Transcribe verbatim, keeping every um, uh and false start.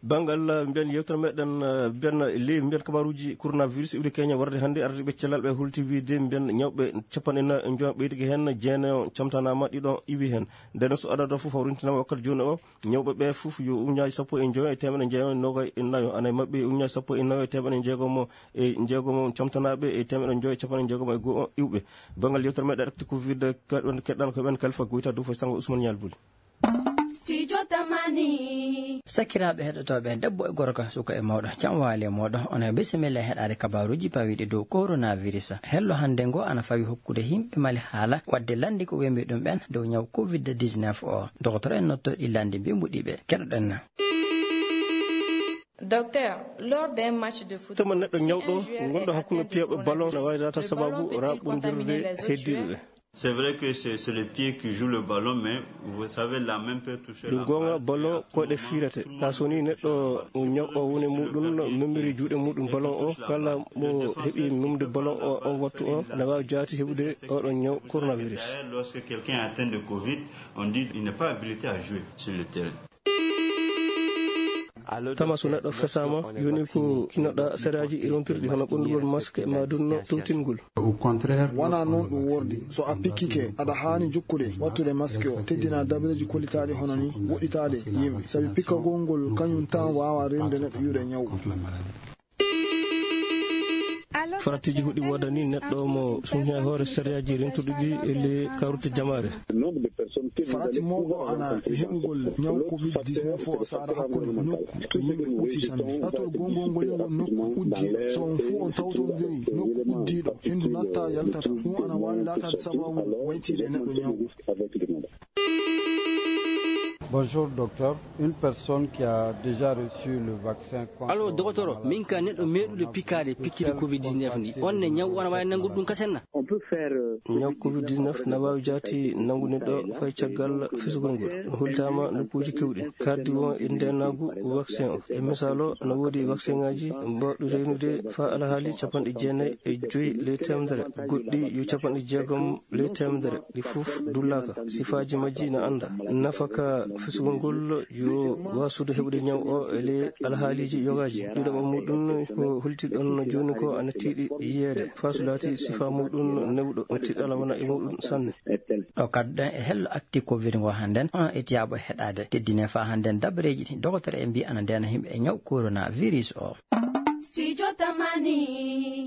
Banngal, eh, mbiyen yewtere meɗen, eh, mbiyen ley, mbiyen kabaruuji coronavirus iwde Kenya warde hannde, ardiiɓe cellal ɓe hulti wiyde mbiyen ñawɓe capanɗe nayo e joy ɓeydike heen, jeenayo camtanaama, ɗiɗo iwi heen. Nden so adada fof hawrintinama wakkati jooni o, ñawɓe ɓe fof yo ujunnaaji sappo e joy e teemeɗɗe jeego e noogay e nayo, ana e maɓɓe ujunnaaji sappo e nayo e teemeɗɗe jeegomo e jeegomo camtanaaɓe e teemeɗɗe joy e capanɗe jeegomo e go'o iwɓe. Banngal yewtere meɗen actu covid, keɗɗon, keɗɗan ko men Kalifa Goyta Dufo Sango Ousmane Ñaal Buli. Studio Tamani. Sakiraaɓe heɗotooɓe, debbo e gorko, suka e mawɗo, jam waali e mooɗon. Onon e bisimilla e heɗaade kabaaruuji pawiiɗi dow coronavirus. Hello hannde ngo ana fawi hokkude yimɓe Mali haala, waɗde lanndi ko wembi ɗum ɓen dow ñaw covid dix-neuf o. Docteur en notto ɗi lanndi mbimbuɗi ɓe. Keɗoɗen. Docteur, lors d'un match de football, tuma neɗɗo ñawɗo, si un joueur gonɗo est hakkunde atteint piyaaɓe de ballon, ne waawi laata sababu raɓɓondirde heddiiɓe ɓe. C'est vrai que c'est, c'est le pied qui joue le ballon, mais vous savez, la main peut toucher la balle. Ɗum goonga, ballon koyɗe fiirete. Ka so woni neɗɗo ñaw o woni muɗum, no memiri juuɗe muɗum ballon o, kala mo heɓi memde ballon o, on wattu o, ne waawi jaati heɓude oɗon ñaw coronavirus. Lorsque quelqu'un est atteint de covid, on dit il n'est pas habilité à jouer sur le terrain. Tama so neɗɗo fesaama, yoni ko kinnoɗa sariyaaji e rontirɗi hono ɓondugol masque ma dunno towtingol. Wona noon ɗum wordi. So a pikkike, aɗa haani jokkude wattude masque o, teddina dabreeji kollitaaɗi hono ni, woɗɗitaade yimɓe. Sabi pikkagol ngol kañum tan waawa rende neɗɗo iwde ñaw. Faratiji huɗi woodani neɗɗo mo suñña e hoore sariyaaji rentuɗi ɗi e le kawrute jamaare. Farati mawɗo ana e heɓugol ñaw covid dix-neuf o saara hakkunde nokku to yimɓe ɓuti sanne. Tatol gongol ngol e ngon nokku uddiiɗo. So on fuu on tawtondiri nokku uddiiɗo, hendu natta yaltata. Ɗum ana waawi laataade sababu waytiiɗe e neɗɗo ñaw. Bonjour, docteur. Une personne qui a déjà reçu le vaccin contre... Allo, la docteur, maladie min ka neɗɗo meeɗuɗo coronavirus, pikkaade pikkiri covid dix-neuf ni. On ne ñaw wana waawi nanngude ɗum kasen na? Ñaw covid dix-neuf na waawi jaati nanngude ɗo fay caggal fisugol ngol. No hultaama nokkuuji keewɗi. Kaddi won e ndeenaagu vaccin o. E misaalo, no woodi vaccin ngaaji mbaawɗi reynude faa alhaali capanɗe jeenayi e joy ley teemedere. Goɗɗi yo capanɗe jeegom ley teemedere. Ɗi fof dullaaka. Sifaaji majji na annda. Nafa ka fisugol ngol yo waasude heɓude ñaw o e ley alhaaliiji yogaaji. Ɗiɗaɓo muɗum ko holti ɗon jooni ko ana tiiɗi yiyeede. Faa so laati sifaa muɗum newɗo, tiɗɗala wona e muɗum sanne. Ɗo kadduɗen e hello actu covid ngo hannden, onon etiyaaɓe heɗaade. Teddine faa hannden dabareeji ɗi dogotere en mbi ana ndeena yimɓe e ñaw coronavirus o. Studio Tamani.